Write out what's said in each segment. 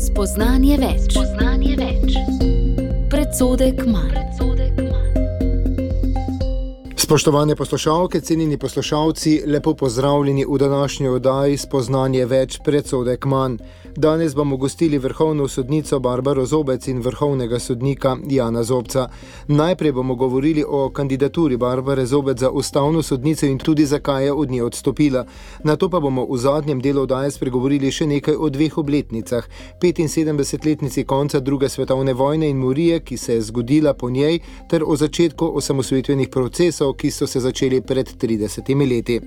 Spoznanje več. Predsodek manj. Spoštovane poslušalke, cenjeni poslušalci, lepo pozdravljeni v današnji oddaji Spoznanje več, predsodek manj. Danes bomo gostili vrhovno sodnico Barbaro Zobec in vrhovnega sodnika Jana Zobca. Najprej bomo govorili o kandidaturi Barbare Zobec za ustavno sodnico in tudi zakaj je od nje odstopila. Nato pa bomo v zadnjem delu oddaje spregovorili še nekaj o dveh obletnicah. 75-letnici konca druge svetovne vojne in morije, ki se je zgodila po njej, ter o začetku osamosvojitvenih procesov, ki so se začeli pred 30 leti.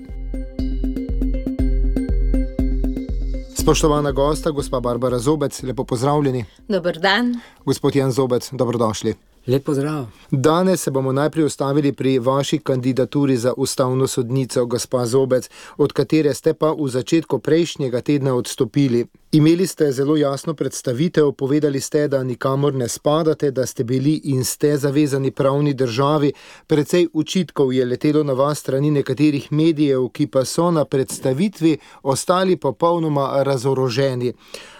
Spoštovana gosta, gospa Barbara Zobec, lepo pozdravljeni. Dober dan. Gospod Jan Zobec, dobrodošli. Lep pozdrav. Danes se bomo najprej ustavili pri vaši kandidaturi za ustavno sodnico, gospa Zobec, od katere ste pa v začetku prejšnjega tedna odstopili. Imeli ste zelo jasno predstavitev, povedali ste, da nikamor ne spadate, da ste bili in ste zavezani pravni državi. Precej očitkov je letelo na vas strani nekaterih medijev, ki pa so na predstavitvi ostali popolnoma razoroženi.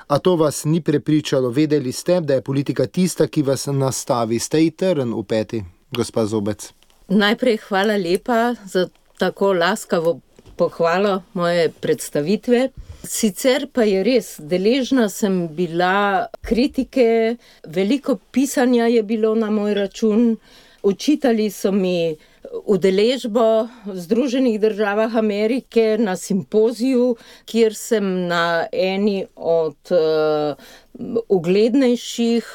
A to vas ni prepričalo? Vedeli ste, da je politika tista, ki vas nastavi. Ste ji trn v peti, gospa Zobec? Najprej hvala lepa za tako laskavo pohvalo moje predstavitve. Sicer pa je res, deležna sem bila kritike, veliko pisanja je bilo na moj račun, očitali so mi udeležbo v Združenih državah Amerike na simpoziju, kjer sem na eni od uglednejših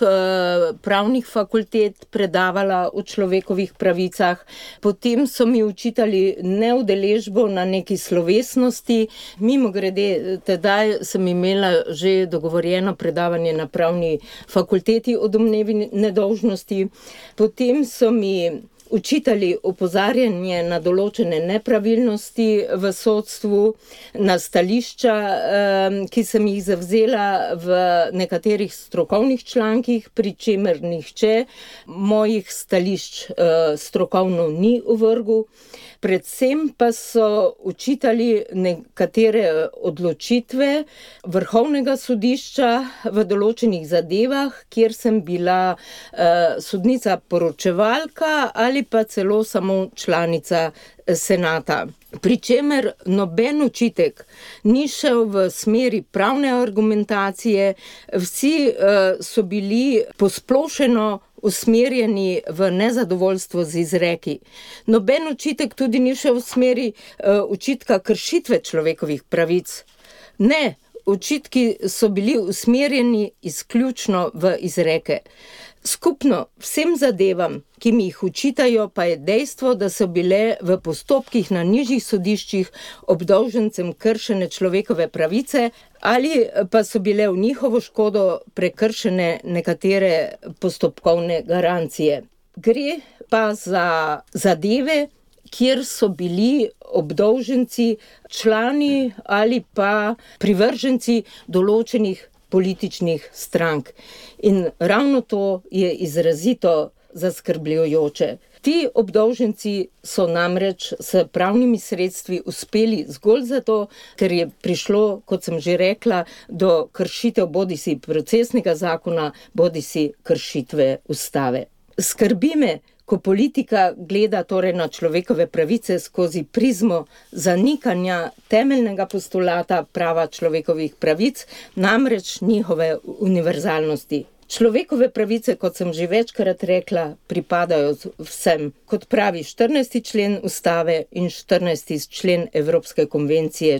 pravnih fakultet predavala o človekovih pravicah. Potem so mi očitali neudeležbo na neki slovesnosti. Mimogrede, tedaj sem imela že dogovorjeno predavanje na pravni fakulteti o domnevi nedolžnosti. Potem so mi učitali opozarjanje na določene nepravilnosti v sodstvu, na stališča, ki sem jih zavzela v nekaterih strokovnih člankih, pri čemer nihče mojih stališč strokovno ni ovrgel. Predvsem pa so učitali nekatere odločitve Vrhovnega sodišča v določenih zadevah, kjer sem bila sodnica poročevalka ali pa celo samo članica senata. Pričemer noben očitek ni šel v smeri pravne argumentacije, vsi so bili posplošeno usmerjeni v nezadovoljstvo z izreki. Noben očitek tudi ni šel v smeri očitka kršitve človekovih pravic. Ne, očitki so bili usmerjeni izključno v izreke. Skupno vsem zadevam, ki mi jih očitajo, pa je dejstvo, da so bile v postopkih na nižjih sodiščih obdolžencem kršene človekove pravice ali pa so bile v njihovo škodo prekršene nekatere postopkovne garancije. Gre pa za zadeve, kjer so bili obdolženci člani ali pa privrženci določenih političnih strank. In ravno to je izrazito zaskrbljujoče. Ti obdolženci so namreč s pravnimi sredstvi uspeli zgolj zato, ker je prišlo, kot sem že rekla, do kršitev bodisi procesnega zakona, bodisi kršitve ustave. Skrbi me, ko politika gleda torej na človekove pravice skozi prizmo zanikanja temeljnega postulata prava človekovih pravic, namreč njihove univerzalnosti. Človekove pravice, kot sem že večkrat rekla, pripadajo vsem. Kot pravi 14. člen ustave in 14. člen Evropske konvencije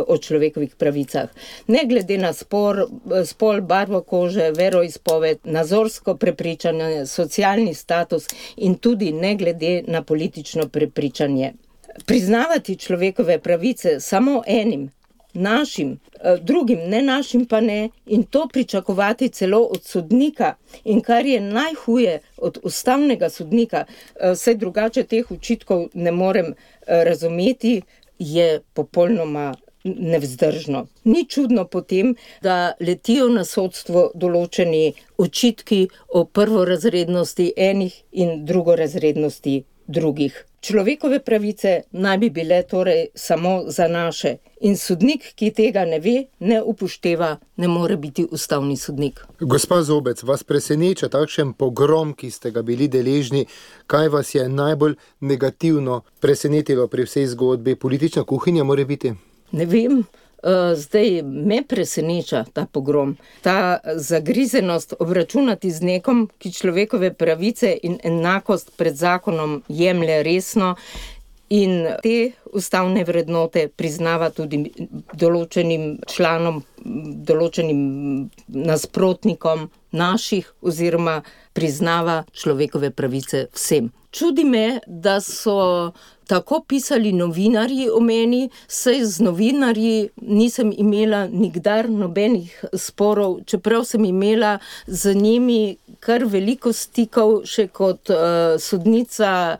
o človekovih pravicah. Ne glede na spol, barvo kože, veroizpoved, nazorsko prepričanje, socialni status in tudi ne glede na politično prepričanje. Priznavati človekove pravice samo enim, našim, drugim ne našim pa ne, in to pričakovati celo od sodnika, in kar je najhuje od ustavnega sodnika, saj drugače teh očitkov ne morem razumeti, je popolnoma nevzdržno. Ni čudno potem, da letijo na sodstvo določeni očitki o prvorazrednosti enih in drugorazrednosti drugih. Človekove pravice naj bi bile torej samo za naše. In sodnik, ki tega ne ve, ne upošteva, ne more biti ustavni sodnik. Gospa Zobec, vas preseneča takšen pogrom, ki ste ga bili deležni? Kaj vas je najbolj negativno presenetilo pri vsej zgodbi? Politična kuhinja mora biti? Ne vem. Zdaj me preseneča ta pogrom, ta zagrizenost obračunati z nekom, ki človekove pravice in enakost pred zakonom jemlje resno in te ustavne vrednote priznava tudi določenim članom, določenim nasprotnikom naših oziroma priznava človekove pravice vsem. Čudi me, da so tako pisali novinarji o meni, saj z novinarji nisem imela nikdar nobenih sporov, čeprav sem imela z njimi kar veliko stikov še kot sodnica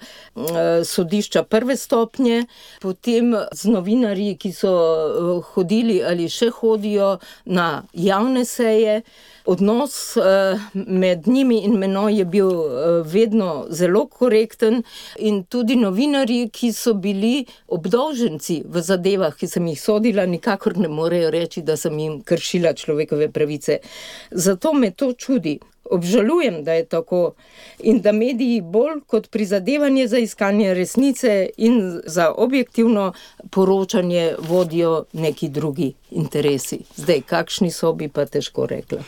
sodišča prve stopnje, potem z novinarji, ki so hodili ali še hodijo na javne seje. Odnos med njimi in menoj je bil vedno zelo korekten in tudi novinarji, ki so bili obdolženci v zadevah, ki sem jih sodila, nikakor ne morejo reči, da sem jim kršila človekove pravice. Zato me to čudi. Obžalujem, da je tako in da mediji bolj kot prizadevanje za iskanje resnice in za objektivno poročanje vodijo neki drugi interesi. Zdaj, kakšni so, bi pa težko rekla.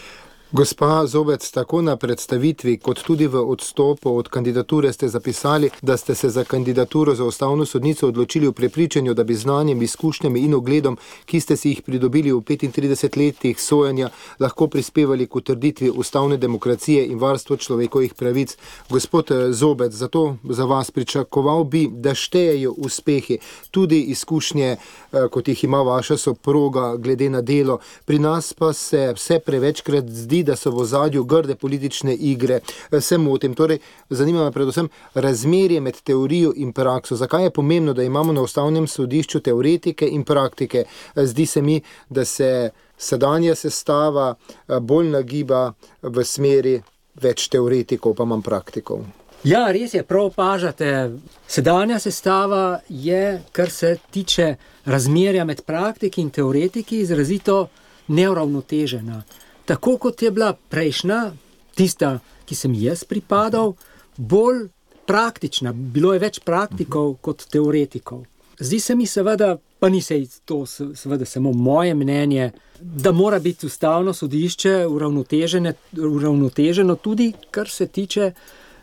Gospa Zobec, tako na predstavitvi, kot tudi v odstopu od kandidature ste zapisali, da ste se za kandidaturo za ustavno sodnico odločili v prepričanju, da bi znanjem, izkušnjami in ugledom, ki ste si jih pridobili v 35 letih sojenja, lahko prispevali k utrditvi ustavne demokracije in varstvo človekovih pravic. Gospod Zobec, zato za vas pričakoval bi, da štejejo uspehi, tudi izkušnje, kot jih ima vaša soproga glede na delo. Pri nas pa se vse prevečkrat zdi, da so v ozadju grde politične igre. Se motim. Torej, zanima me predvsem razmerje med teorijo in prakso. Zakaj je pomembno, da imamo na ustavnem sodišču teoretike in praktike? Zdi se mi, da se sedanja sestava bolj nagiba v smeri več teoretikov, pa manj praktikov. Ja, res je, prav opažate. Sedanja sestava je, kar se tiče razmerja med praktiki in teoretiki, izrazito neuravnotežena. Tako kot je bila prejšnja, tista, ki sem jaz pripadal, bolj praktična. Bilo je več praktikov kot teoretikov. Zdi se mi seveda, pa ni se to seveda samo moje mnenje, da mora biti ustavno sodišče uravnoteženo tudi, kar se tiče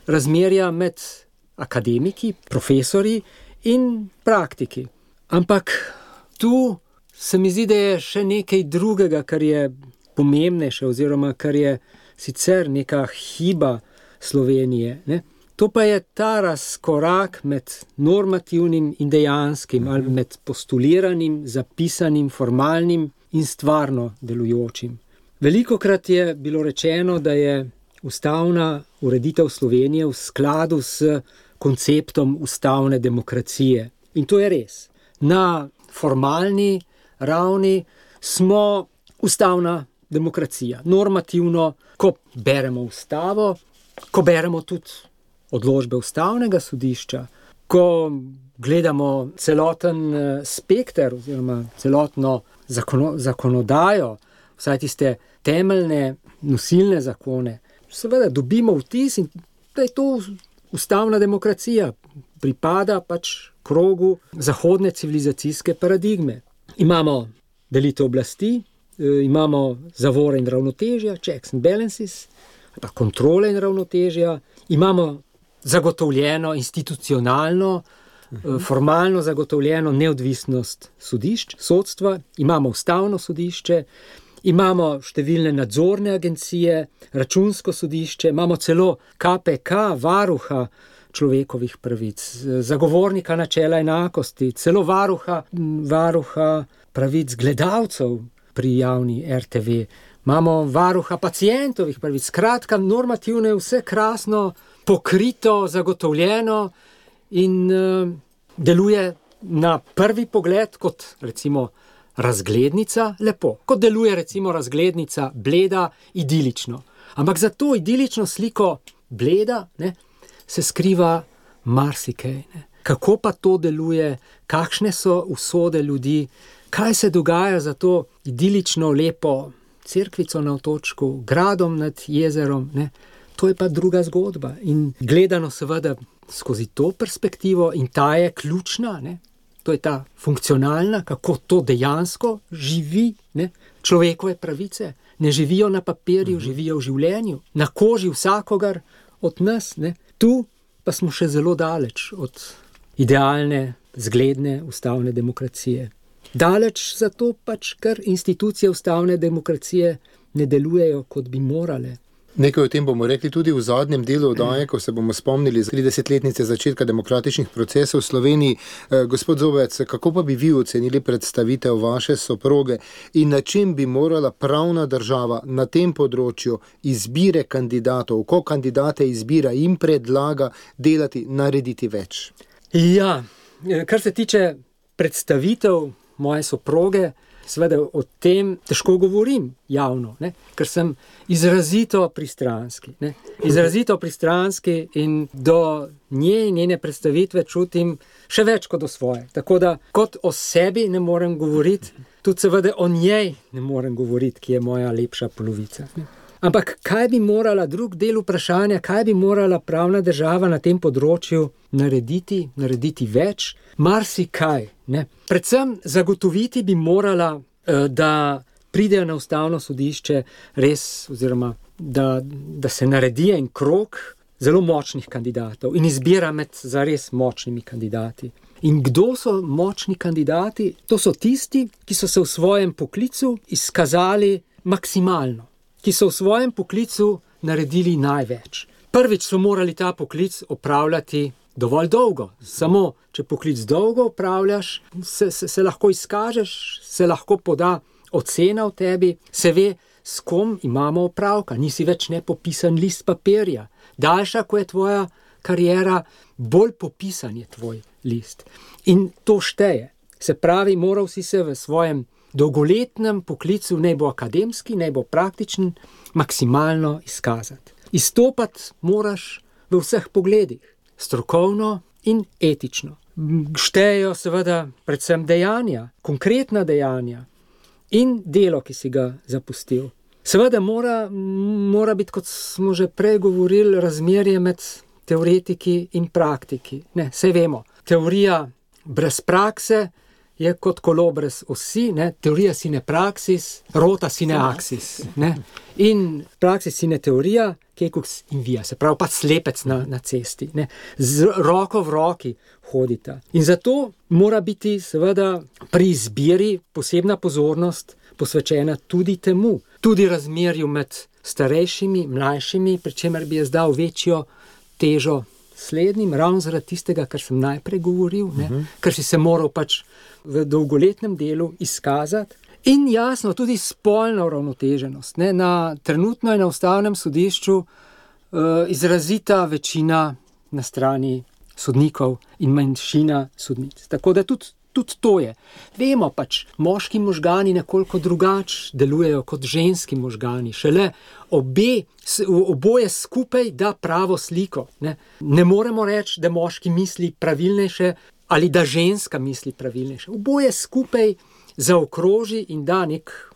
razmerja med akademiki, profesori in praktiki. Ampak tu se mi zdi, da je še nekaj drugega, kar je pomembnejše oziroma kar je sicer neka hiba Slovenije. Ne? To pa je ta razkorak med normativnim in dejanskim ali med postuliranim, zapisanim, formalnim in stvarno delujočim. Velikokrat je bilo rečeno, da je ustavna ureditev Slovenije v skladu s konceptom ustavne demokracije. In to je res. Na formalni ravni smo ustavna demokracija. Normativno, ko beremo ustavo, ko beremo tudi odločbe ustavnega sodišča, ko gledamo celoten spekter oziroma celotno zakonodajo, vsaj tiste temeljne nosilne zakone, seveda dobimo vtis, da je to ustavna demokracija, pripada pač krogu zahodne civilizacijske paradigme. Imamo delitev oblasti, imamo zavore in ravnotežja, checks and balances, pa kontrole in ravnotežja, imamo zagotovljeno institucionalno, formalno zagotovljeno neodvisnost sodišč, sodstva, imamo ustavno sodišče, imamo številne nadzorne agencije, računsko sodišče, imamo celo KPK, varuha človekovih pravic, zagovornika načela enakosti, celo varuha pravic gledalcev pri javni RTV. Imamo varuha pacientovih pravic. Skratka, normativno je vse krasno, pokrito, zagotovljeno in deluje na prvi pogled kot recimo razglednica lepo. Kot deluje recimo razglednica bleda, idilično. Ampak za to idilično sliko bleda se skriva marsikaj. kako pa to deluje, kakšne so usode ljudi, kaj se dogaja za to idilično, lepo cerkvico na otočku, gradom nad jezerom, ne? To je pa druga zgodba. In gledano seveda skozi to perspektivo, in ta je ključna, ne? To je ta funkcionalna, kako to dejansko živi, ne? Človekove pravice ne živijo na papirju, živijo v življenju, na koži vsakogar od nas, ne? Tu pa smo še zelo daleč od idealne, zgledne ustavne demokracije. Daleč zato pač, ker institucije ustavne demokracije ne delujejo, kot bi morale. Nekaj o tem bomo rekli tudi v zadnjem delu oddaje, ko se bomo spomnili 30-letnice začetka demokratičnih procesov v Sloveniji. Gospod Zobec, kako pa bi vi ocenili predstavitev vaše soproge in na čem bi morala pravna država na tem področju izbire kandidatov, ko kandidate izbira in predlaga delati, narediti več? Ja, kar se tiče predstavitev moje soproge, seveda o tem težko govorim javno, ne? Ker sem izrazito pristranski. Ne? Izrazito pristranski in do njene predstavitve čutim še več kot o svoje. Tako da kot o sebi ne morem govoriti, tudi seveda o njej ne morem govoriti, ki je moja lepša polovica. Ne? Ampak kaj bi morala, drug del vprašanja, kaj bi morala pravna država na tem področju narediti več? Marsikaj, ne? Predvsem zagotoviti bi morala, da pridejo na ustavno sodišče res, oziroma da se naredi en krog zelo močnih kandidatov in izbira med zares močnimi kandidati. In kdo so močni kandidati? To so tisti, ki so se v svojem poklicu izkazali maksimalno, ki so v svojem poklicu naredili največ. Prvič so morali ta poklic opravljati dovolj dolgo. Samo, če poklic dolgo opravljaš, se lahko izkažeš, se lahko poda ocena o tebi, se ve, s kom imamo opravka. Nisi več nepopisan list papirja. Daljša, ko je tvoja kariera, bolj popisan je tvoj list. In to šteje. Se pravi, moral si se v svojem dolgoletnem poklicu, naj bo akademski, naj bo praktičen, maksimalno izkazati. Izstopati moraš v vseh pogledih, strokovno in etično. Štejejo seveda predvsem dejanja, konkretna dejanja in delo, ki si ga zapustil. Seveda mora biti, kot smo že prej govorili, razmerje med teoretiki in praktiki. Ne, saj vemo, teorija brez prakse je kot kolo brez osi, ne? Teorija sine praxis, rota sine axis. Ne? In praxis sine teorija, kekux in via, se pravi pa slepec na cesti. Ne? Z roko v roki hodita. In zato mora biti seveda pri izbiri posebna pozornost posvečena tudi temu, tudi razmerju med starejšimi, mlajšimi, pri čemer bi jaz dal večjo težo slednjim, ravno zaradi tistega, kar sem najprej govoril, ne? Ker si se moral pač v dolgoletnem delu izkazati. In jasno, tudi spolna uravnoteženost. Ne? Trenutno je na ustavnem sodišču izrazita večina na strani sodnikov in manjšina sodnic. Tako da tudi to je. Vemo pač, moški možgani nekoliko drugače delujejo kot ženski možgani. Šele oboje skupaj da pravo sliko. Ne moremo reči, da moški misli pravilnejše ali da ženska misli pravilnejše. Oboje skupaj zaokroži in da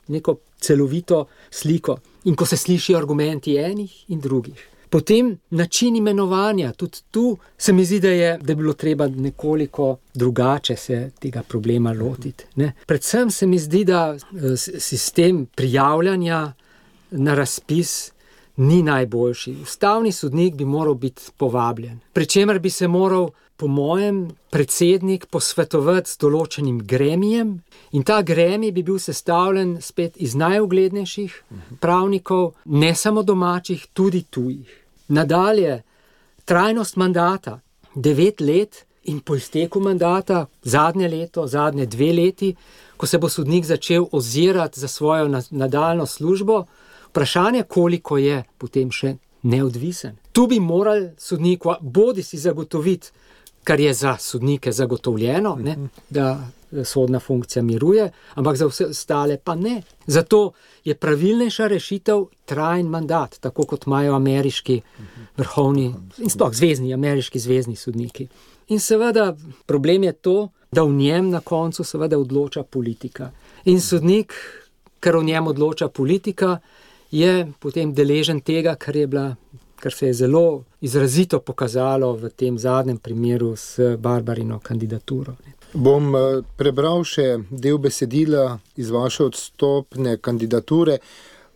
neko celovito sliko. In ko se slišijo argumenti enih in drugih. Potem način imenovanja, tudi tu se mi zdi, da je bilo treba nekoliko drugače se tega problema lotiti. Ne? Predvsem se mi zdi, da sistem prijavljanja na razpis ni najboljši. Ustavni sodnik bi moral biti povabljen, pri čemer bi se moral, po mojem, predsednik posvetovati z določenim gremijem in ta gremij bi bil sestavljen spet iz najuglednejših pravnikov, ne samo domačih, tudi tujih. Nadalje, trajnost mandata, 9 let in po izteku mandata, zadnje leto, zadnje 2 leti, ko se bo sodnik začel ozirati za svojo nadaljnjo službo, vprašanje, koliko je potem še neodvisen. Tu bi moral sodnik bodi si zagotoviti kar je za sodnike zagotovljeno, ne, da sodna funkcija miruje, ampak za vse ostale pa ne. Zato je pravilnejša rešitev trajen mandat, tako kot imajo ameriški vrhovni in sploh ameriški zvezni sodniki. In seveda problem je to, da v njem na koncu seveda odloča politika. In sodnik, ker v njem odloča politika, je potem deležen tega, kar se je zelo izrazito pokazalo v tem zadnjem primeru s Barbarino kandidaturo. Bom prebral še del besedila iz vaše odstopne kandidature.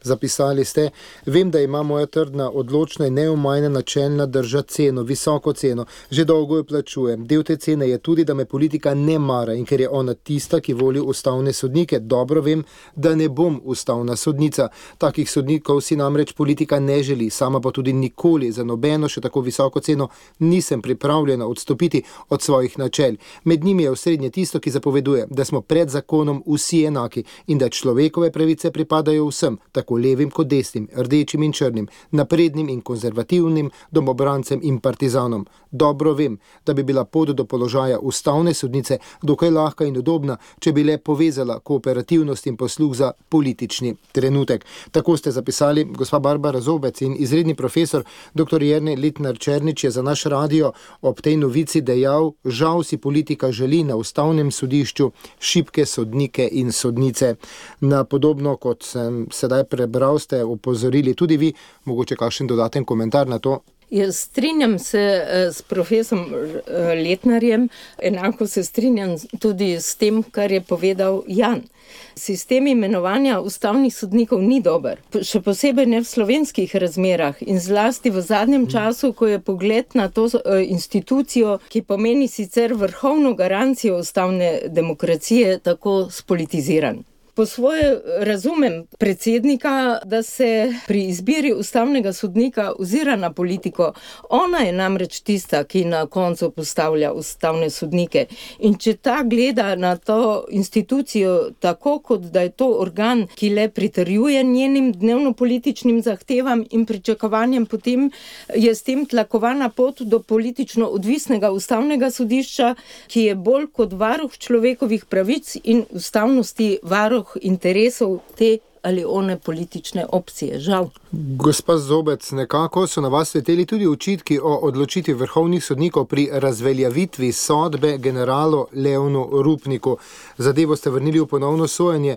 Zapisali ste: vem, da ima moja trdna, odločna in neomajna načelna drža ceno, visoko ceno. Že dolgo jo plačujem. Del te cene je tudi, da me politika ne mara in ker je ona tista, ki voli ustavne sodnike. Dobro vem, da ne bom ustavna sodnica. Takih sodnikov si namreč politika ne želi, sama pa tudi nikoli za nobeno še tako visoko ceno nisem pripravljena odstopiti od svojih načel. Med njimi je osrednje tisto, ki zapoveduje, da smo pred zakonom vsi enaki in da človekove pravice pripadajo vsem, tako levim kot desnim, rdečim in črnim, naprednim in konzervativnim, domobrancem in partizanom. Dobro vem, da bi bila pot do položaja ustavne sodnice dokaj lahka in udobna, če bi le povezala kooperativnost in posluh za politični trenutek. Tako ste zapisali gospa Barbara Zobec, in izredni profesor dr. Jernej Letnar-Černič je za naš radio ob tej novici dejal: žal si politika želi na ustavnem sodišču šibke sodnike in sodnice. Na podobno, kot sem sedaj prebral, ste opozorili tudi vi, mogoče kakšen dodaten komentar na to? Jaz strinjam se s profesorom Letnarjem, enako se strinjam tudi s tem, kar je povedal Jan. Sistem imenovanja ustavnih sodnikov ni dober, še posebej ne v slovenskih razmerah in zlasti v zadnjem času, ko je pogled na to institucijo, ki pomeni sicer vrhovno garancijo ustavne demokracije, tako spolitiziran. Po svoje razumem predsednika, da se pri izbiri ustavnega sodnika ozira na politiko. Ona je namreč tista, ki na koncu postavlja ustavne sodnike. In če ta gleda na to institucijo tako, kot da je to organ, ki le pritrjuje njenim dnevno-političnim zahtevam in pričakovanjem, potem je s tem tlakovana pot do politično odvisnega ustavnega sodišča, ki je bolj kot varuh človekovih pravic in ustavnosti varuh interesov te ali one politične opcije, žal. Gospa Zobec, nekako so na vas leteli tudi očitki o odločitvi vrhovnih sodnikov pri razveljavitvi sodbe generalu Leonu Rupniku. Zadevo ste vrnili v ponovno sojenje.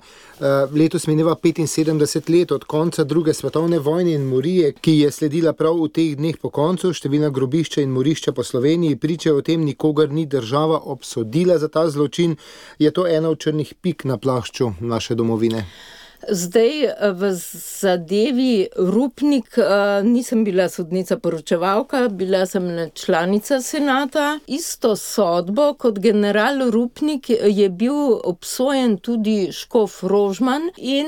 Letos mineva 75 let od konca druge svetovne vojne in morije, ki je sledila prav v teh dneh po koncu. Številna grobišča in morišča po Sloveniji pričajo o tem, nikogar ni država obsodila za ta zločin. Je to ena od črnih pik na plašču naše domovine? Zdaj v zadevi Rupnik nisem bila sodnica poročevalka, bila sem članica senata. Isto sodbo kot general Rupnik je bil obsojen tudi škof Rožman in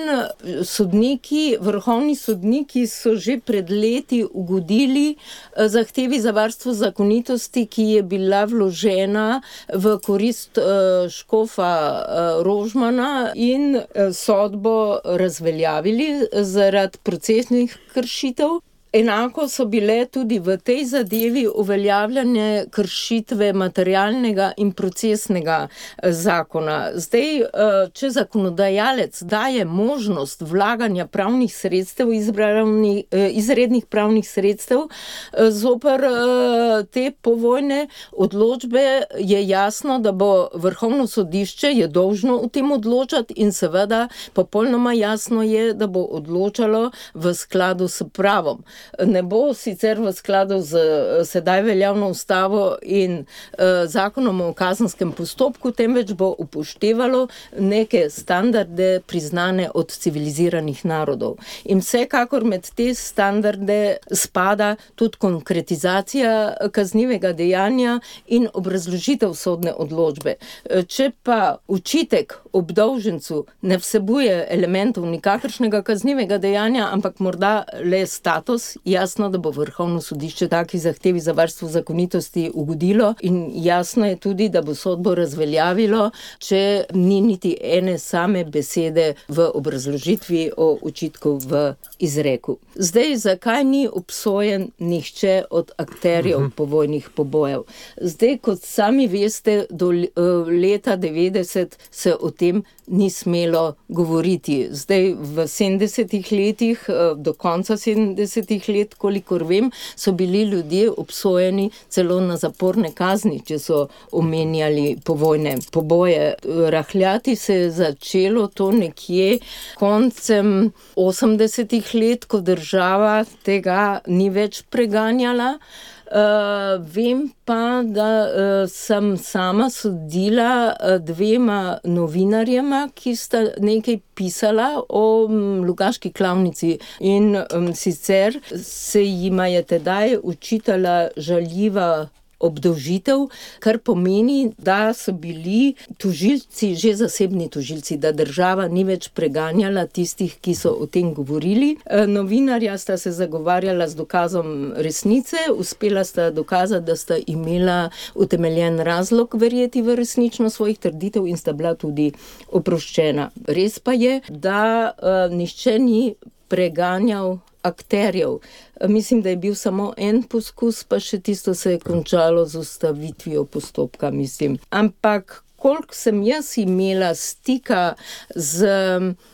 sodniki, vrhovni sodniki so že pred leti ugodili zahtevi za varstvo zakonitosti, ki je bila vložena v korist škofa Rožmana, in sodbo razveljavili zaradi procesnih kršitev. Enako so bile tudi v tej zadevi uveljavljene kršitve materialnega in procesnega zakona. Zdaj, če zakonodajalec daje možnost vlaganja pravnih sredstev, izrednih pravnih sredstev zoper te povojne odločbe, je jasno, da bo vrhovno sodišče je dolžno o tem odločati in seveda popolnoma jasno je, da bo odločalo v skladu s pravom. Ne bo sicer v skladu z sedaj veljavno ustavo in zakonom o kazenskem postopku, temveč bo upoštevalo neke standarde priznane od civiliziranih narodov. In vsekakor med te standarde spada tudi konkretizacija kaznivega dejanja in obrazložitev sodne odločbe. Če pa očitek obdolžencu ne vsebuje elementov nikakršnega kaznivega dejanja, ampak morda le status čas, jasno, da bo Vrhovno sodišče taki zahtevi za varstvo zakonitosti ugodilo in jasno je tudi, da bo sodbo razveljavilo, če ni niti ene same besede v obrazložitvi o očitku v izreku. Zdaj, zakaj ni obsojen nihče od akterjev povojnih pobojev? Zdaj, kot sami veste, do leta 90 se o tem ni smelo govoriti. Zdaj, v 70-ih letih, do konca 70-ih let, kolikor vem, so bili ljudje obsojeni celo na zaporne kazni, če so omenjali povojne poboje. Rahljati se je začelo to nekje koncem 80-ih let, ko država tega ni več preganjala. Vem pa, da sem sama sodila dvema novinarjema, ki sta nekaj pisala o Logatški klavnici in sicer se jima je tedaj učitala žaljiva obdolžitev, kar pomeni, da so bili tožilci, že zasebni tožilci, da država ni več preganjala tistih, ki so o tem govorili. Novinarja sta se zagovarjala z dokazom resnice, uspela sta dokazati, da sta imela utemeljen razlog verjeti v resničnost svojih trditev in sta bila tudi oproščena. Res pa je, da nihče ni preganjal akterjev. Mislim, da je bil samo en poskus, pa še tisto se je končalo z ustavitvijo postopka, mislim. Ampak koliko sem jaz imela stika z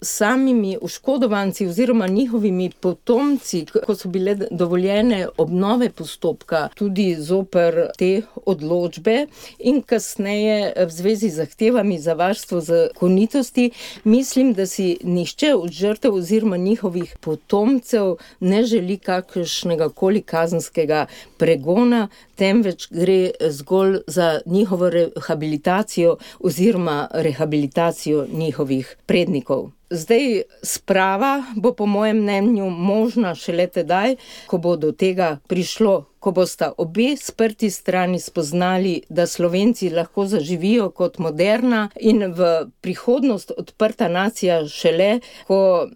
samimi oškodovanci oziroma njihovimi potomci, ko so bile dovoljene obnove postopka, tudi zoper te odločbe in kasneje v zvezi z zahtevami za varstvo zakonitosti, mislim, da si nihče od žrtev oziroma njihovih potomcev ne želi kakršnega koli kazenskega pregona, temveč gre zgolj za njihovo rehabilitacijo oziroma rehabilitacijo njihovih prednikov. Zdaj, sprava bo po mojem mnenju možna šele tedaj, ko bo do tega prišlo, ko bosta obe sprti strani spoznali, da Slovenci lahko zaživijo kot moderna in v prihodnost odprta nacija šele, ko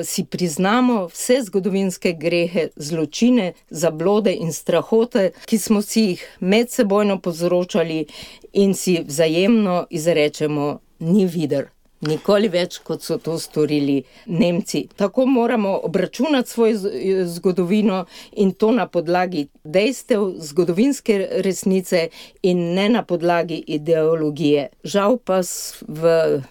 si priznamo vse zgodovinske grehe, zločine, zablode in strahote, ki smo si jih medsebojno povzročali in si vzajemno izrečemo ni vidar. Nikoli več, kot so to storili Nemci. Tako moramo obračunati svojo zgodovino in to na podlagi dejstev, zgodovinske resnice in ne na podlagi ideologije. Žal pa smo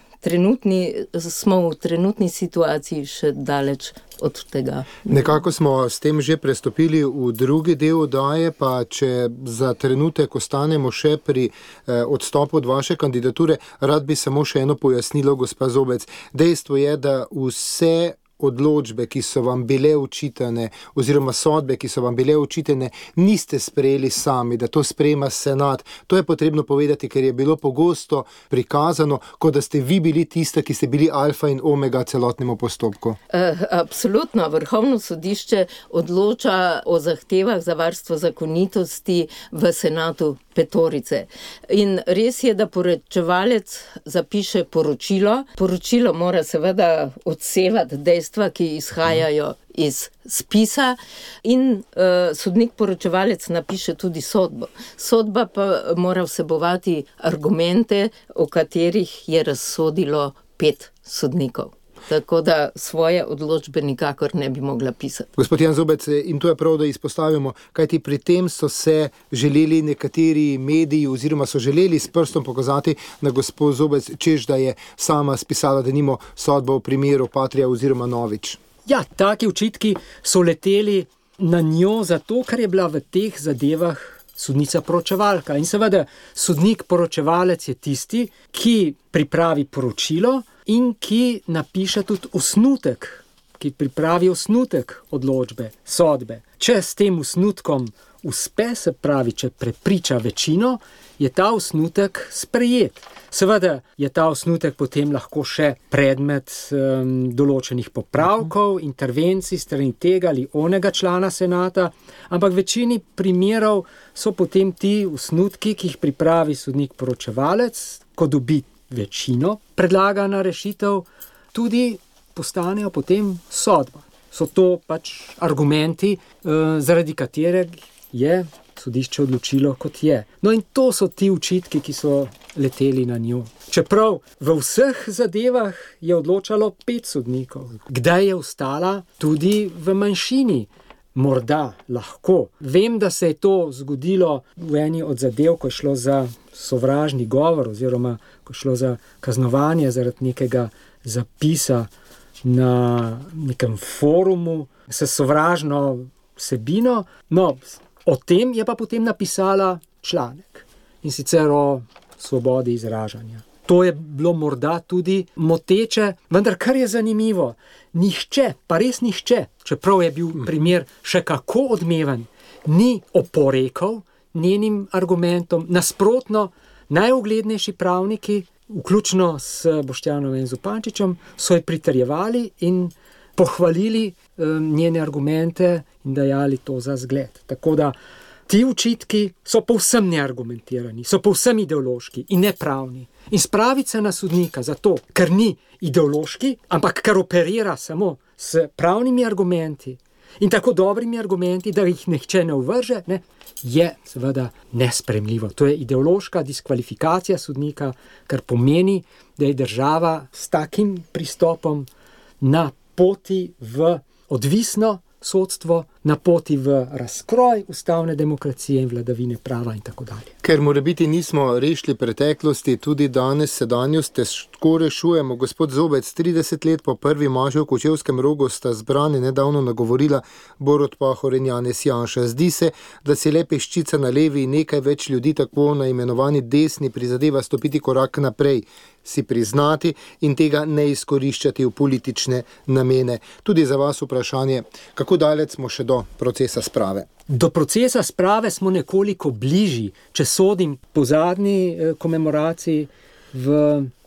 v trenutni situaciji še daleč od tega. Nekako smo s tem že prestopili v drugi del oddaje, pa če za trenutek ostanemo še pri odstopu od vaše kandidature, rad bi samo še eno pojasnilo, gospa Zobec. Dejstvo je, da vse odločbe, ki so vam bile očitane, oziroma sodbe, ki so vam bile očitane, niste sprejeli sami, da to sprejema senat. To je potrebno povedati, ker je bilo pogosto prikazano, kot da ste vi bili tista, ki ste bili alfa in omega celotnemu postopku. Absolutno. Vrhovno sodišče odloča o zahtevah za varstvo zakonitosti v senatu petorice. In res je, da poročevalec zapiše poročilo. Poročilo mora seveda odsevati dejstva, ki izhajajo iz spisa in sodnik poročevalec napiše tudi sodbo. Sodba pa mora vsebovati argumente, o katerih je razsodilo 5 sodnikov. Tako da svoje odločbe nikakor ne bi mogla pisati. Gospod Jan Zobec, in to je prav, da izpostavimo, kajti pri tem so se želeli nekateri mediji oziroma so želeli s prstom pokazati na gospod Zobec, češ da je sama spisala denimo sodbo v primeru Patria oziroma Novič. Ja, taki očitki so leteli na njo zato, ker je bila v teh zadevah sodnica poročevalka. In seveda sodnik poročevalec je tisti, ki pripravi poročilo in ki napiše tudi osnutek, ki pripravi osnutek odločbe, sodbe. Če s tem osnutkom uspe, se pravi, če prepriča večino, je ta osnutek sprejet. Seveda je ta osnutek potem lahko še predmet določenih popravkov, intervencij strani tega ali onega člana senata, ampak v večini primerov so potem ti osnutki, ki jih pripravi sodnik poročevalec, ko dobi večino predlagana rešitev, tudi postanejo potem sodba. so to pač argumenti, zaradi katerih je sodišče odločilo, kot je. No in to so ti očitki, ki so leteli na njo. Čeprav v vseh zadevah je odločalo 5 sodnikov. Kdaj je ostala tudi v manjšini? Morda, lahko. Vem, da se je to zgodilo v eni od zadev, ko je šlo za sovražni govor oziroma ko je šlo za kaznovanje zaradi nekega zapisa na nekem forumu s sovražno vsebino. No, o tem je pa potem napisala članek, in sicer o svobodi izražanja. To je bilo morda tudi moteče, vendar kar je zanimivo, nihče, pa res nihče, čeprav je bil primer še kako odmeven, ni oporekal njenim argumentom. Nasprotno, najuglednejši pravniki, vključno s Boštjanom Zupančičem, so ji pritrjevali in pohvalili njene argumente in dajali to za zgled. Tako da ti očitki so povsem neargumentirani, so povsem ideološki in nepravni. In spraviti se na sodnika zato, ker ni ideološki, ampak ker operira samo s pravnimi argumenti in tako dobrimi argumenti, da jih nihče ne uvrže, ne, je seveda nesprejemljivo. To je ideološka diskvalifikacija sodnika, kar pomeni, da je država s takim pristopom na poti v odvisno sodstvo, na poti v razkroj ustavne demokracije in vladavine prava in tako dalje. Ker morebiti nismo rešili preteklosti, tudi danes sedanjost težko rešujemo. Gospod Zobec, 30 let po prvi maši v Kočevskem Rogu sta zbrani nedavno nagovorila Borut Pahor in Janez Janša. Zdi se, da si le peščica na levi in nekaj več ljudi, tako na imenovani desni, prizadeva stopiti korak naprej, si priznati in tega ne izkoriščati v politične namene. Tudi za vas vprašanje, kako daleč smo še do procesa sprave? Do procesa sprave smo nekoliko bližji, če sodim po zadnji komemoraciji v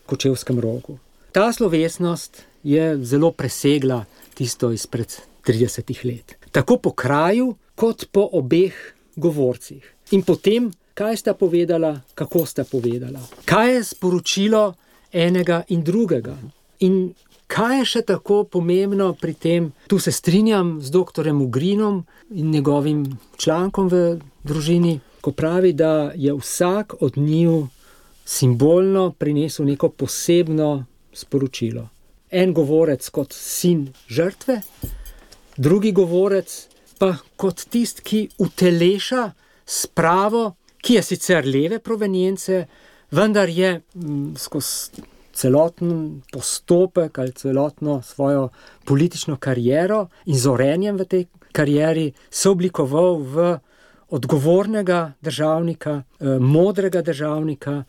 Kočevskem Rogu. Ta slovesnost je zelo presegla tisto izpred 30 let. Tako po kraju, kot po obeh govorcih. In potem, kaj sta povedala, kako sta povedala. Kaj je sporočilo enega in drugega. In kaj je še tako pomembno pri tem, tu se strinjam z doktorjem Ugrinom in njegovim člankom v Družini, ko pravi, da je vsak od njiju simbolno prinesel neko posebno sporočilo. En govorec kot sin žrtve, drugi govorec pa kot tist, ki uteleša spravo, ki je sicer leve provenience, vendar je skozi celoten postopek ali celotno svojo politično kariero in zorenjem v tej karieri se oblikoval v odgovornega državnika, modrega državnika,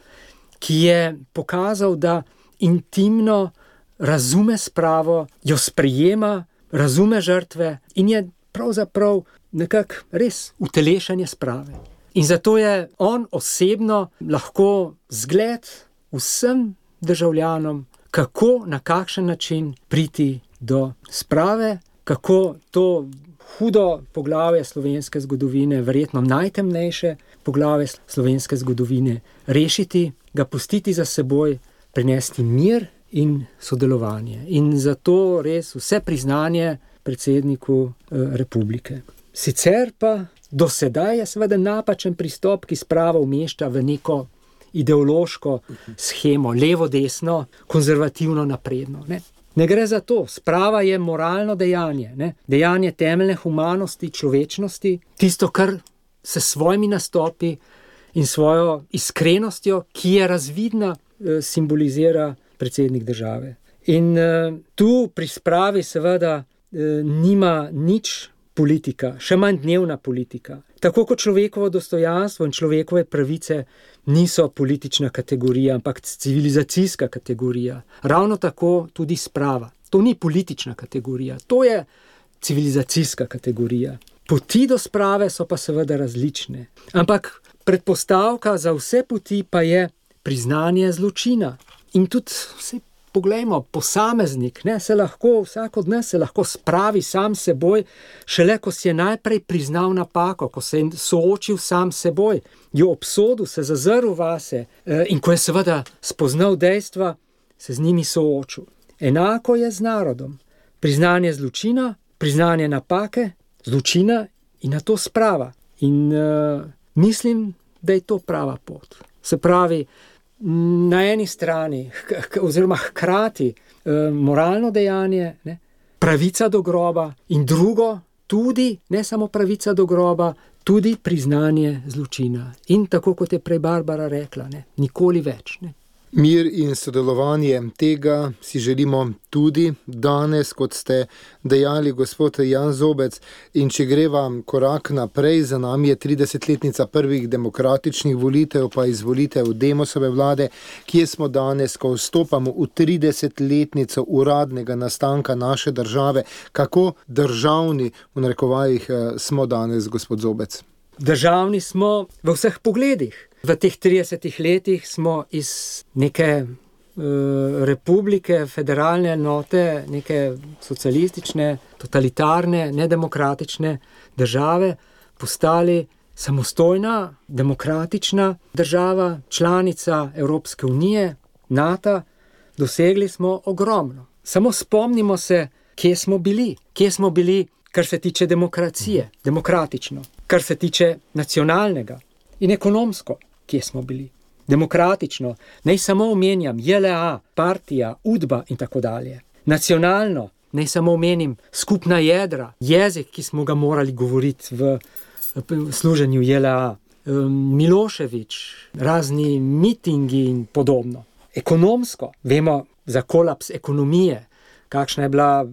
ki je pokazal, da intimno razume spravo, jo sprejema, razume žrtve in je pravzaprav nekako res utelešanje sprave. In zato je on osebno lahko zgled vsem državljanom, kako, na kakšen način priti do sprave, kako to hudo poglavje slovenske zgodovine, verjetno najtemnejše poglavje slovenske zgodovine, rešiti, ga pustiti za seboj, prinesti mir in sodelovanje. In zato res vse priznanje predsedniku republike. Sicer pa do sedaj je seveda napačen pristop, ki spravo umešča v neko ideološko shemo, levo-desno, konzervativno, napredno. Ne gre za to. Sprava je moralno dejanje, dejanje temeljne humanosti, človečnosti, tisto, kar se s svojimi nastopi in svojo iskrenostjo, ki je razvidna, simbolizira predsednik države. In tu pri spravi seveda nima nič politika, še manj dnevna politika. Tako kot človekovo dostojanstvo in človekove pravice niso politična kategorija, ampak civilizacijska kategorija. Ravno tako tudi sprava. To ni politična kategorija, to je civilizacijska kategorija. Poti do sprave so pa seveda različne. Ampak predpostavka za vse poti pa je priznanje zločina. In tudi vse poglejmo, posameznik, se lahko, vsak od nas se lahko spravi sam seboj, šele ko si je najprej priznal napako, ko se je soočil sam seboj, jo obsodil, se zazrl vase in ko je seveda spoznal dejstva, se z njimi soočil. Enako je z narodom. Priznanje zločina priznanje napake, zločina in na to sprava. In mislim, da je to prava pot. Se pravi, na eni strani, oziroma hkrati moralno dejanje, ne, pravica do groba in drugo tudi, ne samo pravica do groba, tudi priznanje zločina. In tako, kot je prej Barbara rekla, ne, nikoli več. Ne. Mir in sodelovanje, tega si želimo tudi danes, kot ste dejali, gospod Jan Zobec. In če greva korak naprej, za nami je 30-letnica prvih demokratičnih volitev, pa izvolitev Demosove vlade, kje smo danes, ko vstopamo v 30-letnico uradnega nastanka naše države. Kako državni, v narekovajih, smo danes, gospod Zobec? Državni smo v vseh pogledih. V teh 30 letih smo iz neke republike, federalne enote, neke socialistične, totalitarne, nedemokratične države postali samostojna, demokratična država, članica Evropske unije, NATO. Dosegli smo ogromno. Samo spomnimo se, kje smo bili. Kje smo bili, kar se tiče demokracije, demokratično, kar se tiče nacionalnega in ekonomsko. Kje smo bili. Demokratično, naj samo omenjam JLA, partija, UDBA in tako dalje. Nacionalno, naj samo omenim skupna jedra, jezik, ki smo ga morali govoriti v služenju JLA, Milošević, razni mitingi in podobno. Ekonomsko, vemo za kolaps ekonomije, kakšna je bila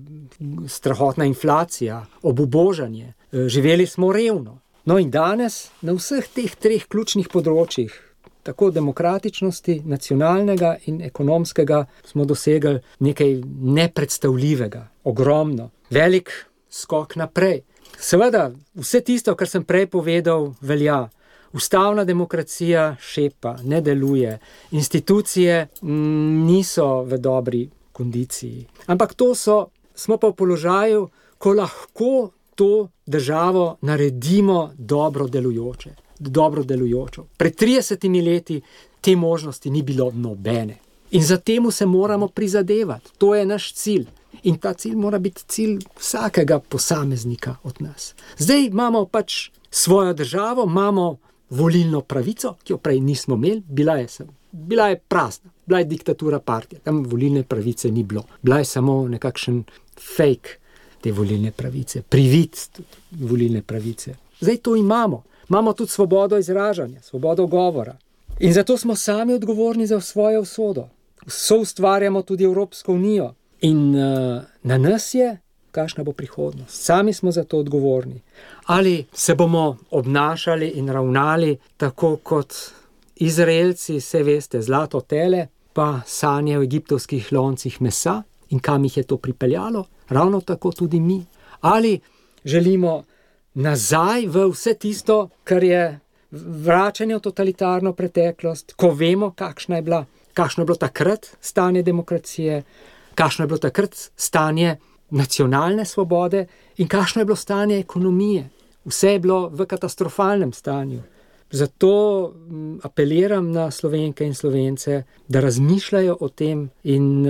strahotna inflacija, obubožanje, živeli smo revno. No in danes na vseh teh treh ključnih področjih, tako demokratičnosti, nacionalnega in ekonomskega, smo dosegli nekaj nepredstavljivega, ogromno, velik skok naprej. Seveda, vse tisto, kar sem prej povedal, velja. Ustavna demokracija šepa, ne deluje, institucije niso v dobri kondiciji. Ampak smo pa v položaju, ko lahko to državo naredimo dobro delujočo. Pred 30 leti te možnosti ni bilo nobene. In za temu se moramo prizadevati. To je naš cilj. In ta cilj mora biti cilj vsakega posameznika od nas. Zdaj imamo pač svojo državo, imamo volilno pravico, ki jo prej nismo imeli, bila je prazna, bila je diktatura partije, tam volilne pravice ni bilo. Bila je samo nekakšen fake te volilne pravice, privid volilne pravice. Zdaj to imamo. Imamo tudi svobodo izražanja, svobodo govora. In zato smo sami odgovorni za svojo usodo. Soustvarjamo tudi Evropsko unijo. In na nas je, kakšna bo prihodnost. Sami smo za to odgovorni. Ali se bomo obnašali in ravnali tako kot Izraelci, vse veste, zlato tele, pa sanje v egiptovskih loncih mesa in kam jih je to pripeljalo? Ravno tako tudi mi. Ali želimo nazaj v vse tisto, kar je vračanje v totalitarno preteklost, ko vemo, kakšno je bilo takrat stanje demokracije, kakšno je bilo takrat stanje nacionalne svobode in kakšno je bilo stanje ekonomije. Vse je bilo v katastrofalnem stanju. Zato apeliram na Slovenke in Slovence, da razmišljajo o tem in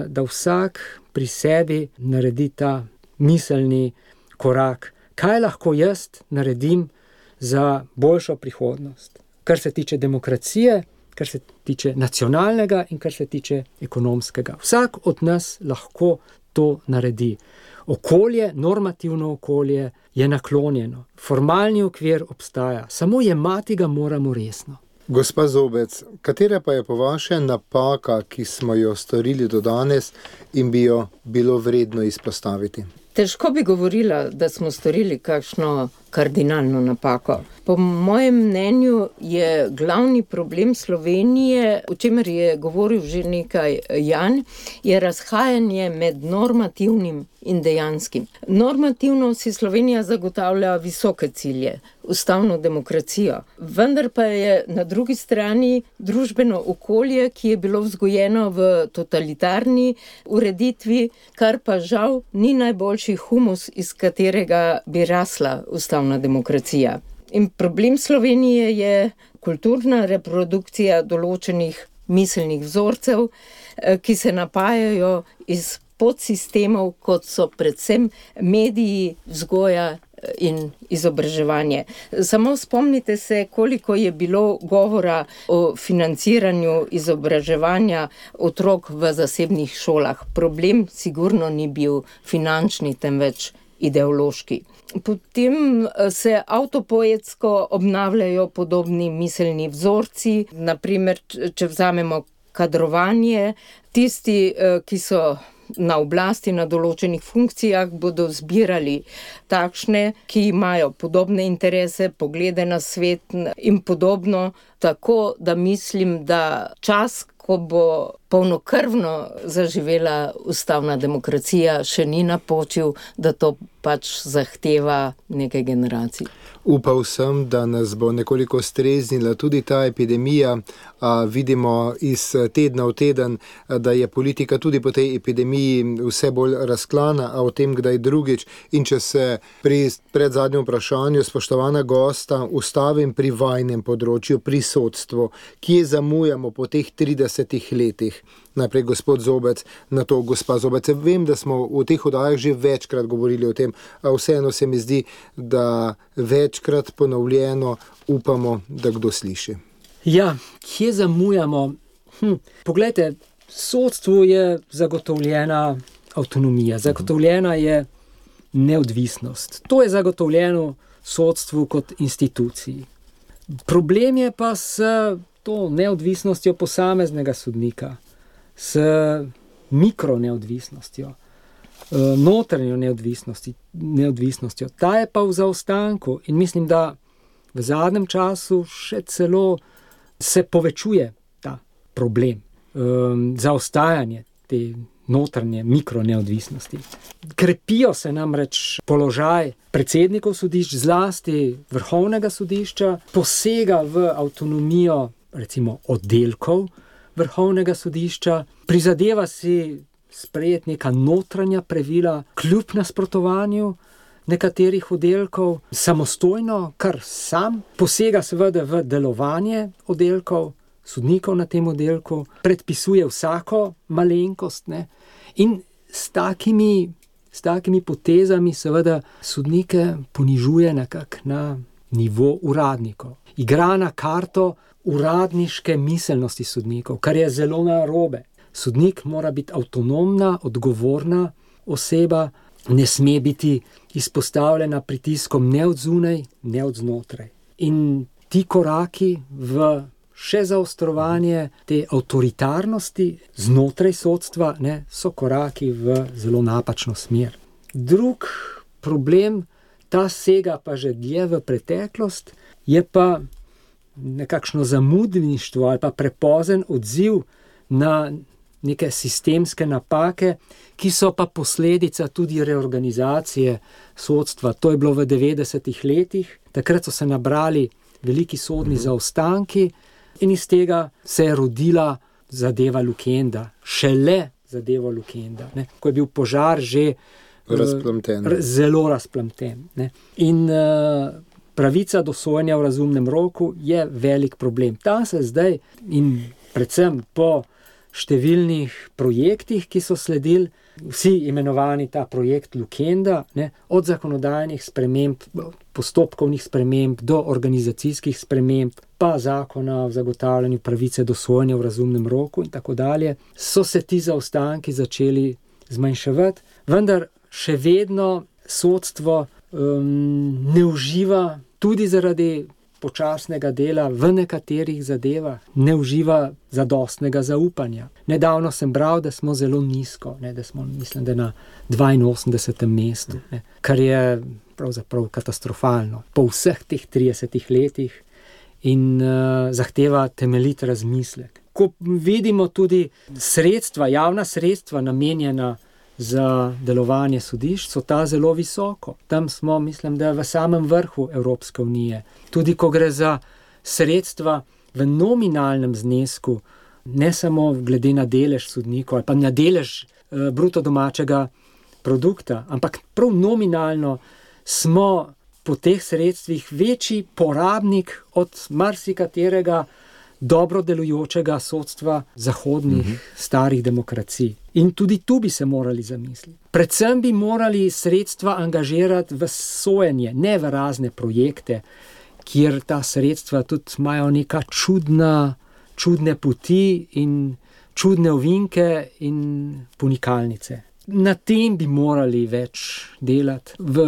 da vsak pri sebi naredi ta miselni korak. Kaj lahko jaz naredim za boljšo prihodnost? Kar se tiče demokracije, kar se tiče nacionalnega in kar se tiče ekonomskega. Vsak od nas lahko to naredi. Okolje, normativno okolje je naklonjeno. Formalni okvir obstaja, samo jemati ga moramo resno. Gospa Zobec, katera pa je po vaše napaka, ki smo jo storili do danes in bi jo bilo vredno izpostaviti? Težko bi govorila, da smo storili kakšno kardinalno napako. Po mojem mnenju je glavni problem Slovenije, o čemer je govoril že nekaj Jan, je razhajanje med normativnim in dejanskim. Normativno si Slovenija zagotavlja visoke cilje, ustavno demokracijo, vendar pa je na drugi strani družbeno okolje, ki je bilo vzgojeno v totalitarni ureditvi, kar pa žal ni najboljši humus, iz katerega bi rasla ustavna demokracija. In problem Slovenije je kulturna reprodukcija določenih miselnih vzorcev, ki se napajajo iz podsistemov, kot so predvsem mediji, vzgoja in izobraževanje. Samo spomnite se, koliko je bilo govora o financiranju izobraževanja otrok v zasebnih šolah. Problem sigurno ni bil finančni, temveč ideološki. Potem se avtopoetsko obnavljajo podobni miselni vzorci, naprimer, če vzamemo kadrovanje, tisti, ki so na oblasti, na določenih funkcijah, bodo zbirali takšne, ki imajo podobne interese, poglede na svet in podobno, tako da mislim, da čas, ko bo polnokrvno zaživela ustavna demokracija, še ni napočil, da to pač zahteva nekaj generacij. Upal sem, da nas bo nekoliko streznila tudi ta epidemija. Vidimo iz tedna v teden, da je politika tudi po tej epidemiji vse bolj razklana, a o tem kdaj drugič. In če se pri predzadnjem vprašanju, spoštovana gosta, ustavim pri vajnem področju, pri sodstvu, kje zamujamo po teh 30 letih. Najprej gospod Zobec, na to gospa Zobec. Vem, da smo v teh oddajah že večkrat govorili o tem, a vseeno se mi zdi, da večkrat ponovljeno upamo, da kdo sliši. Ja, kje zamujamo? Poglejte, sodstvu je zagotovljena avtonomija, zagotovljena je neodvisnost. To je zagotovljeno sodstvu kot instituciji. Problem je pa s to neodvisnostjo posameznega sodnika, s mikroneodvisnostjo, notranjo neodvisnostjo. Ta je pa v zaostanku in mislim, da v zadnjem času še celo se povečuje ta problem, zaostajanje te notranje mikroneodvisnosti. Krepijo se namreč položaj predsednikov sodišč, zlasti Vrhovnega sodišča, posega v avtonomijo recimo oddelkov Vrhovnega sodišča, prizadeva si sprejeti neka notranja pravila kljub nasprotovanju nekaterih oddelkov, samostojno, kar sam, posega seveda v delovanje oddelkov, sodnikov na tem oddelku, predpisuje vsako malenkost, ne? In s takimi potezami seveda sodnike ponižuje nekako na nivo uradnikov. Igra na karto uradniške miselnosti sodnikov, kar je zelo narobe. Sodnik mora biti avtonomna, odgovorna oseba, ne sme biti izpostavljena pritiskom ne od zunaj, ne od znotraj. In ti koraki v še zaostrovanje te avtoritarnosti znotraj sodstva, ne, so koraki v zelo napačno smer. Drug problem, ta sega pa že dlje v preteklost, je pa nekakšno zamudništvo ali pa prepozen odziv na neke sistemske napake, ki so pa posledica tudi reorganizacije sodstva. To je bilo v 90-ih letih, takrat so se nabrali veliki sodni zaostanki in iz tega se je rodila zadeva Lukenda, šele zadeva Lukenda, ne, ko je bil požar že zelo razplamten. Ne. In pravica do sojenja v razumnem roku je velik problem. Ta se zdaj in predvsem po številnih projektih, ki so sledili, vsi imenovani ta projekt Lukenda, ne, od zakonodajnih sprememb, postopkovnih sprememb do organizacijskih sprememb, pa zakona o zagotavljanju pravice do sojenja v razumnem roku in tako dalje, so se ti zaostanki začeli zmanjševati, vendar še vedno sodstvo ne uživa, tudi zaradi počasnega dela v nekaterih zadevah, ne uživa zadostnega zaupanja. Nedavno sem bral, da smo zelo nizko, ne, da smo, mislim, da na 82. mestu, ne, kar je pravzaprav katastrofalno po vseh teh 30 letih in zahteva temeljit razmislek. Ko vidimo tudi sredstva, javna sredstva namenjena za delovanje sodišč, so ta zelo visoko. Tam smo, mislim, da v samem vrhu Evropske unije. Tudi ko gre za sredstva v nominalnem znesku, ne samo glede na delež sodnikov ali pa na delež bruto domačega produkta, ampak prav nominalno smo po teh sredstvih večji porabnik od marsikaterega dobro delujočega sodstva zahodnih starih demokracij. In tudi tu bi se morali zamisliti. Predvsem bi morali sredstva angažirati v sojenje, ne v razne projekte, kjer ta sredstva tudi imajo neka čudne poti in čudne ovinke in ponikalnice. Na tem bi morali več delati, v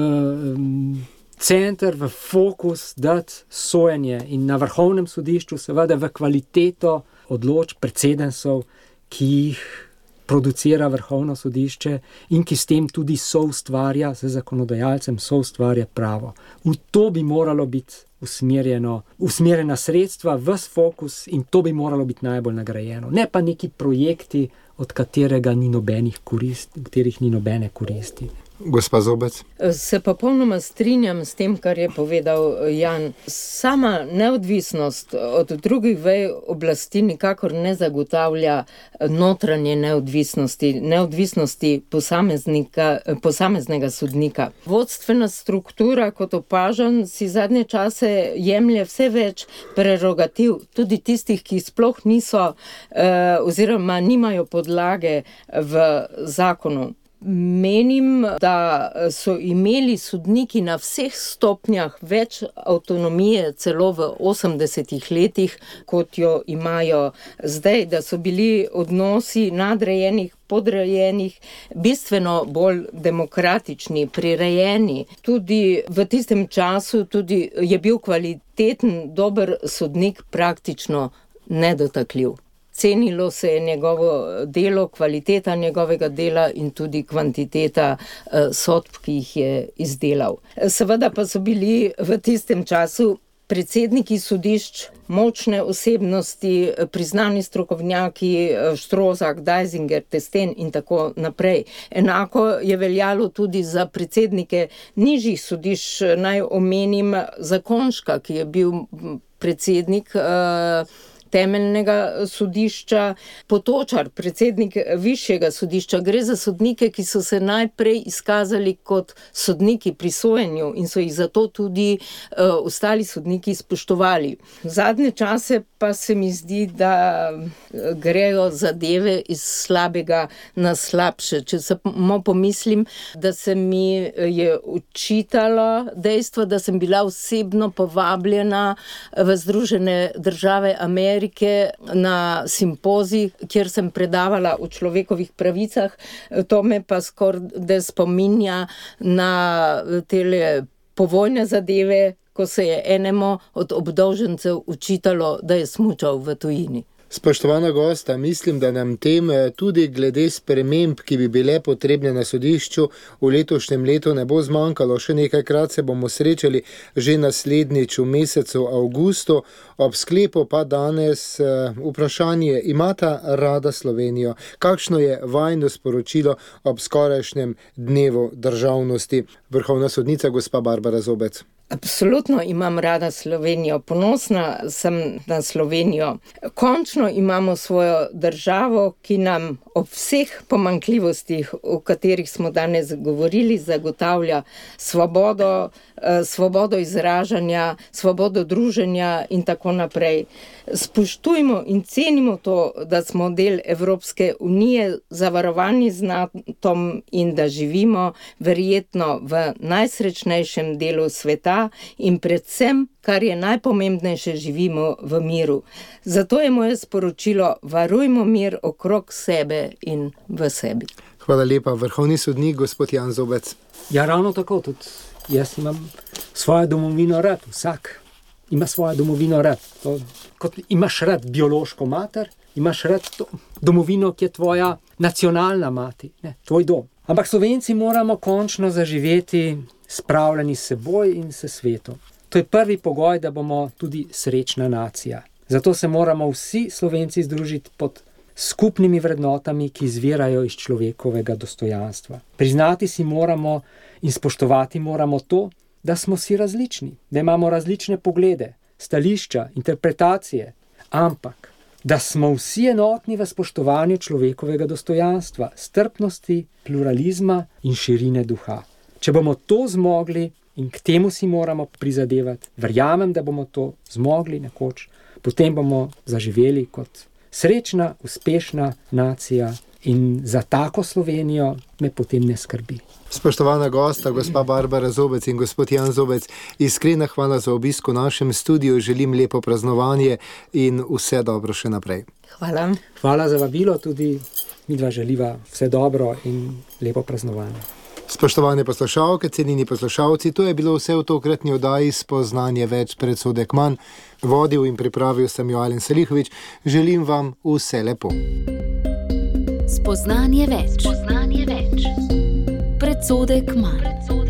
center, v fokus dati sojenje in na Vrhovnem sodišču seveda v kvaliteto odločb precedencev, ki jih producira Vrhovno sodišče in ki s tem tudi soustvarja, z zakonodajalcem soustvarja pravo. V to bi moralo biti usmerjena sredstva, ves fokus, in to bi moralo biti najbolj nagrajeno. Ne pa neki projekti, od katerih ni nobene koristi. Gospa Zobec? Se popolnoma strinjam s tem, kar je povedal Jan. Sama neodvisnost od drugih vej oblasti nikakor ne zagotavlja notranje neodvisnosti posameznega sodnika. Vodstvena struktura, kot opažam, si zadnje čase jemlje vse več prerogativ, tudi tistih, ki sploh niso oziroma nimajo podlage v zakonu. Menim, da so imeli sodniki na vseh stopnjah več avtonomije celo v 80-ih letih, kot jo imajo zdaj, da so bili odnosi nadrejenih, podrejenih bistveno bolj demokratični, prirejeni. Tudi v tistem času je bil kvaliteten, dober sodnik praktično nedotakljiv. Cenilo se je njegovo delo, kvaliteta njegovega dela in tudi kvantiteta sodb, ki jih je izdelal. Seveda pa so bili v tistem času predsedniki sodišč močne osebnosti, priznani strokovnjaki, Štrozak, Dajzinger, Testen in tako naprej. Enako je veljalo tudi za predsednike nižjih sodišč. Naj omenim Zakonška, ki je bil predsednik temeljnega sodišča, Potočar, predsednik višjega sodišča. Gre za sodnike, ki so se najprej izkazali kot sodniki pri sojenju in so jih zato tudi ostali sodniki spoštovali. Zadnje čase pa se mi zdi, da grejo zadeve iz slabega na slabše. Če samo pomislim, da se mi je učitalo dejstvo, da sem bila osebno povabljena v Združene države Amerike na simpozij, kjer sem predavala o človekovih pravicah. To me pa skoraj spominja na tele povojne zadeve, ko se je enemu od obdolžencev učitalo, da je smučal v tujini. Spoštovana gosta, mislim, da nam tem tudi glede sprememb, ki bi bile potrebne na sodišču, v letošnjem letu ne bo zmanjkalo. Še nekajkrat se bomo srečali že naslednjič v mesecu avgustu. Ob sklepu pa danes vprašanje: imata rada Slovenijo? Kakšno je vajino sporočilo ob skorajšnjem dnevu državnosti? Vrhovna sodnica gospa Barbara Zobec. Absolutno imam rada Slovenijo, ponosna sem na Slovenijo. Končno imamo svojo državo, ki nam ob vseh pomanjkljivostih, o katerih smo danes govorili, zagotavlja svobodo izražanja, svobodo druženja in tako naprej. Spoštujmo in cenimo to, da smo del Evropske unije, zavarovani z NATO-om in da živimo verjetno v najsrečnejšem delu sveta in predvsem, kar je najpomembnejše, živimo v miru. Zato je moje sporočilo: varujmo mir okrog sebe in v sebi. Hvala lepa, vrhovni sodnik gospod Jan Zobec. Ja, ravno tako, tudi jaz imam svojo domovino rad, vsak ima svojo domovino rad. Kot imaš rad biološko mater, imaš rad domovino, ki je tvoja nacionalna mati, ne, tvoj dom. Ampak Slovenci moramo končno zaživeti spravljeni s seboj in s svetom. To je prvi pogoj, da bomo tudi srečna nacija. Zato se moramo vsi Slovenci združiti pod skupnimi vrednotami, ki izvirajo iz človekovega dostojanstva. Priznati si moramo in spoštovati moramo to, da smo si različni, da imamo različne poglede, stališča, interpretacije, ampak da smo vsi enotni v spoštovanju človekovega dostojanstva, strpnosti, pluralizma in širine duha. Če bomo to zmogli, in k temu si moramo prizadevati, verjamem, da bomo to zmogli nekoč, potem bomo zaživeli kot srečna, uspešna nacija in za tako Slovenijo me potem ne skrbi. Spoštovana gosta, gospa Barbara Zobec in gospod Jan Zobec, iskrena hvala za obisk v našem studiu, želim lepo praznovanje in vse dobro še naprej. Hvala. Hvala za vabilo, tudi midva želiva vse dobro in lepo praznovanje. Spoštovane poslušalke, cenjeni poslušalci, to je bilo vse v tokratni oddaji Spoznanje več, predsodek manj. Vodil in pripravil sem jo Alen Salihović. Želim vam vse lepo. Spoznanje več. Predsodek manj.